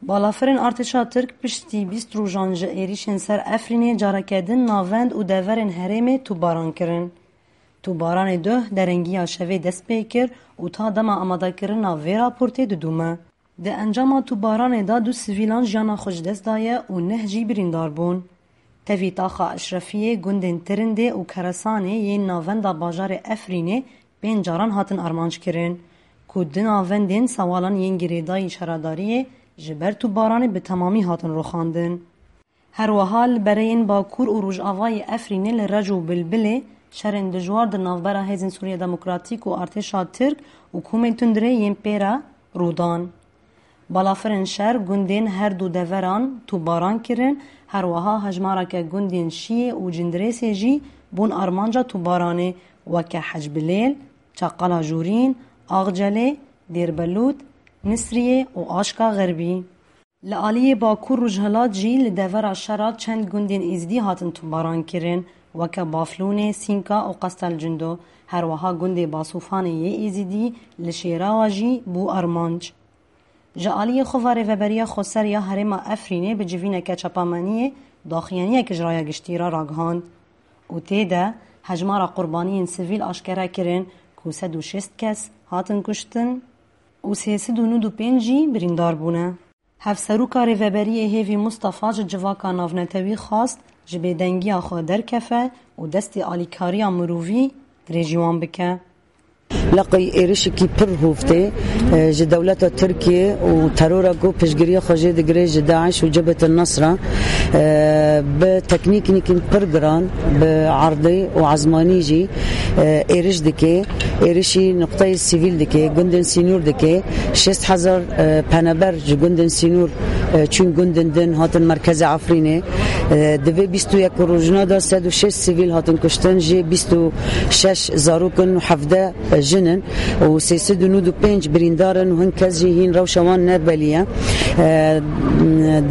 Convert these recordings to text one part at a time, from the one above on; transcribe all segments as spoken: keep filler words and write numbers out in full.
Balafirên artêşa Tirk piştî bîst rojan ji êrîşên ser Efrînê careke din navend û deverên herêmê tûbaran kirin. Tûbaranê duh derengiya şevê dest pê kir û ta dema amadekirina vê raportê didûme. Di encama tûbaranê de du sivîlan jiyana xwe ji dest daye û neh jî birîndar bûn. Tevî taxa Eşrefiyê gundên Tirindê û Keresanê yên navenda bajarê Efrînê pênc caran hatin armanc kirin, ku di navendên sewalan yên girêdayî şaredariyê ji ber tûbaranê bi temamî hatin rûxandin. Her wiha li bereyên Bakur û Rojavayê Efrînê li Rec û Bilbilê şerên dijwar di navbera Hêzên Sûriya Demokratîk û artêşa Tirk û komên tundrê yên pê re rû dan. Balafirên şer gundên her du deveran tûbaran kirin, her wiha hejmareke gundên Şiyê û Cindirêsê jî bûn armanca tûbaranê, weke Hecbilêl, Çaqala Jûrîn, Axcelê, Dêrbelût, Nisriyê û Aşka Xerbî. Li aliyê Bakur Rojhilat jî li devera şera çend gundên Êzidî hatin tûbaran kirin, weke Baflûnê, Sînka û Qestelcindo. Her wiha gundê Basûfanê yê Êzidî li Şêrawa jî bû armanc. Ji aliyê xwe ve Rêveberiya Xweser ya Herêma Efrînê bi civîneke çapemeniyê daxuyaniyek ji raya giştî re ragihand û tê de hejmara qurbaniyên sivîl aşkere kirin ku sed û şêst kes hatin kuştin û sê sed û nod û pênc jî birîndar bûne. Hevseroka Rêveberiyê Hêvî Mustafa ji civaka navnetewî xwast ji bêdengiya xwe derkefe û destê alîkariya mirovî dirêjî wan bike. Leqey êrişekî pir hûf tê, e, ji dewleta Tirkiye û terora ku piştgiriya xwe jê digire ji DAIŞ û Cebhet el Nasra, e, bi teknîknîkin pir giran, bi erdê û ezmanî jî, e, êriş dike. Êrişî nuqteyê sivîl dike, gundên sînor dike. Şêst hezar, e, penaber ji gundên sînor, e, çûn gundên din, hatin merkezê Efrînê. E, di vê bîst û yek rojna de sed û şêst sivîl hatin kuştin, jê bîst û şeş zarok in û hevdeh jin in û sê sed û nod û pênc birîndar in û hin kes jî hîn rewşa wan ne belî ye. E,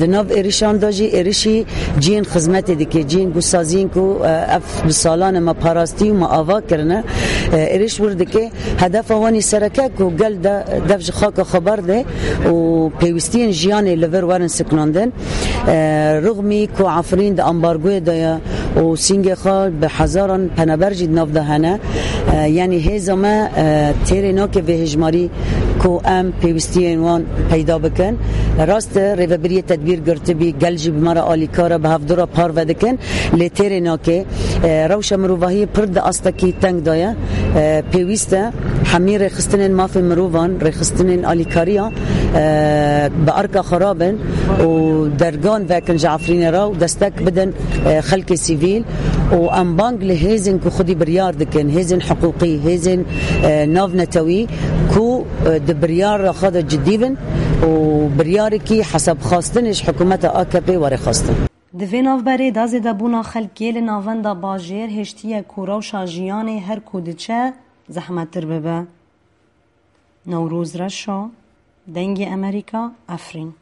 di nav êrişan de jî êrişî cihên xizmetê dike, cihên gosaziyên ku, e, ev bi salan e me parastî û me ava kirine, e, êriş wir dike. Hedefa wan î sereke ku gel de dev ji xaka xwe berde û pêwîstiyên jiyanê li vir werin siknandin. E, rixmî ku Efrîn di ambargoyê de ye û sîngê xwe bi hezaran penaber jî di nav de hene. E, yanî hêza me, e, têrê nake vê hêjmarî ku em pêwîstiyên wan peyda bikin. Rast e, rêvebiriyê tedbîr girtibî, gel jî bi me re alîkar e, bi hevdu re parve dikin. Lê têrê nake, e, rewşa mirovahiyê pir di astekî teng de ye. E, pêwîst e hemî rêxistinên mafê mirovan, rêxistinên alîkariya, e, bi erka xwe rabin û dergan vekin ji Efrînê re û destek bidin, e, xelkê sivîl û em bang li hêzên ku xwedî biryar dikin, hêzên hiqûqî, hêzên, e, navnetewî ku, e, di biryara xwe de cidî bin û biryarekî hesabxwastinê ji hikûmeta A K P were xwestin. Di vê navberê de zêdebûna xelkê li navenda bajêr hêştiye ku rewşa jiyanê her ku diçe zehmettir bibe. Newroz Reşo, Dengê Emerîka, Efrîn.